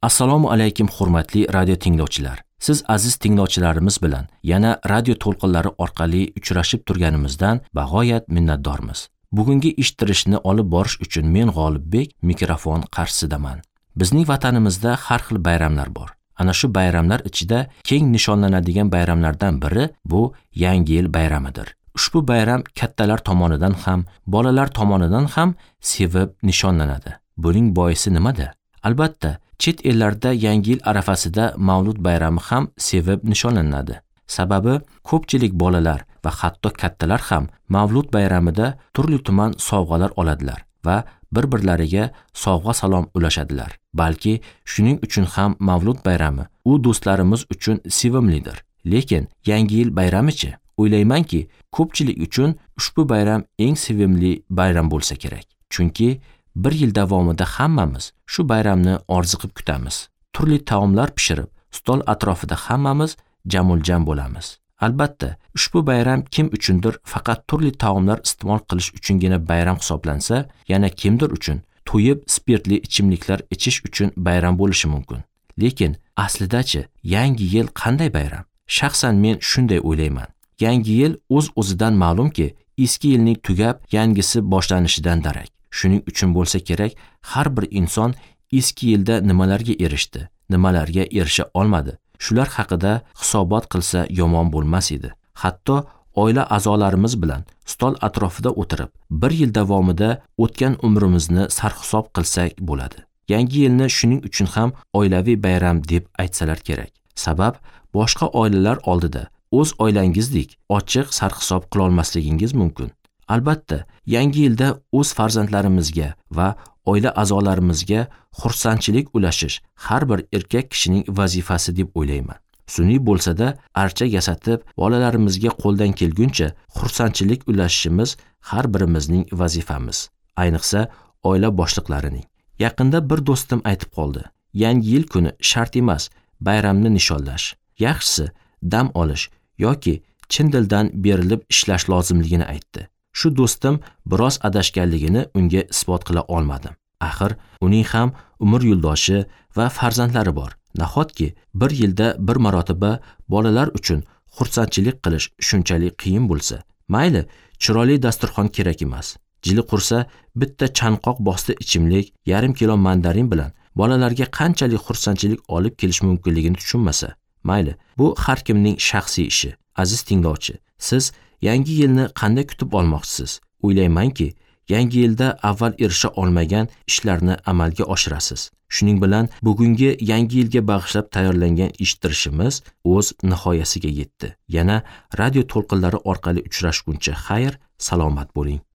Assalomu alaykum hurmatli radio tinglovchilar. Siz aziz tinglovchilarimiz bilan yana radio to'lqinlari orqali uchrashib turganimizdan bag'oyat minnatdormiz. Bugungi eshittirishni olib borish uchun men G'olibbek mikrofon qarshisidaman. Bizning vatanimizda har xil bayramlar bor. Ana shu bayramlar ichida keng nishonlanadigan bayramlardan biri bu Yangi yil bayramidir. Ushbu bayram kattalar tomonidan ham, bolalar tomonidan ham sevib nishonlanadi. Buning boisi nimada? Albatta, chet ellarda Yangi yil arafasida Mavlud bayrami ham sevib nishonlanadi. Sababi ko'pchilik bolalar va hatto kattalar ham Mavlud bayramida turli tuman sovg'alar oladilar va bir-birlariga sovg'a salom ulashadilar. Balki shuning uchun ham Mavlud bayrami u do'stlarimiz uchun sevimlidir. Lekin Yangi yil bayramichi? O'ylaymanki, ko'pchilik uchun ushbu bayram eng sevimli bayram bo'lsa kerak. Chunki bir yil davomida hammamiz shu bayramni orziqib kutamiz. Turli taomlar pishirib, stol atrofida hammamiz jamuljam bo'lamiz. Albatta, ushbu bayram kim uchundir faqat turli taomlar iste'mol qilish uchungina bayram hisoblansa, yana kimdir uchun to'yib spirtli ichimliklar ichish uchun bayram bo'lishi mumkin. Lekin aslidachi, Yangi yil qanday bayram? Shaxsan men shunday o'ylayman. Yangi yil o'z-o'zidan ma'lumki, eski yilning tugab, yangisi boshlanishidan darak. Shuning uchun bo'lsa kerak, har bir inson eski yilda nimalarga erishdi, nimalarga erisha olmadi, shular haqida hisobot qilsa yomon bo'lmas edi. Hatto oila a'zolarimiz bilan stol atrofida o'tirib, bir yil davomida o'tgan umrimizni sarhisob qilsak bo'ladi. Yangi yilni shuning uchun ham oilaviy bayram deb aytsalar kerak. Sabab boshqa oilalar oldida o'z oilangizdek ochiq sarhisob qila olmasligingiz mumkin. Albatta, Yangi yilda o'z farzandlarimizga va oila a'zolarimizga xursandchilik ulashish har bir erkak kishining vazifasi deb o'ylayman. Sun'iy bo'lsa-da archa yasatib, bolalarimizga qo'ldan kelguncha xursandchilik ulashishimiz har birimizning vazifamiz, ayniqsa oila boshliqlarining. Yaqinda bir do'stim aytib qoldi: Yangi yil kuni shart emas bayramni nishonlash. Yaxshisi dam olish yoki chin dildan berilib ishlash lozimligini aytdi. Shu do'stim biroz adashganligini unga isbot qila olmadim. Axir uning ham umr yo'ldoshi va farzandlari bor. Nahotki bir yilda bir marotaba bolalar uchun xursandchilik qilish shunchalik qiyin bo'lsa? Mayli, chiroyli dasturxon kerak emas. Jili qursa bitta chanqoq bosti ichimlik, yarim kilo mandarin bilan bolalarga qanchalik xursandchilik olib kelish mumkinligini tushunmasa. Mayli, bu har kimning shaxsiy ishi. Aziz tinglovchi, siz Yangi yilni qanday kutib olmoqchisiz? O'ylaymanki, Yangi yilda avval erisha olmagan ishlarni amalga oshirasiz. Shuning bilan bugungi Yangi yilga bag'ishlab tayyorlangan eshittirishimiz o'z nihoyasiga yetdi. Yana radio to'lqinlari orqali uchrashguncha xayr, salomat bo'ling.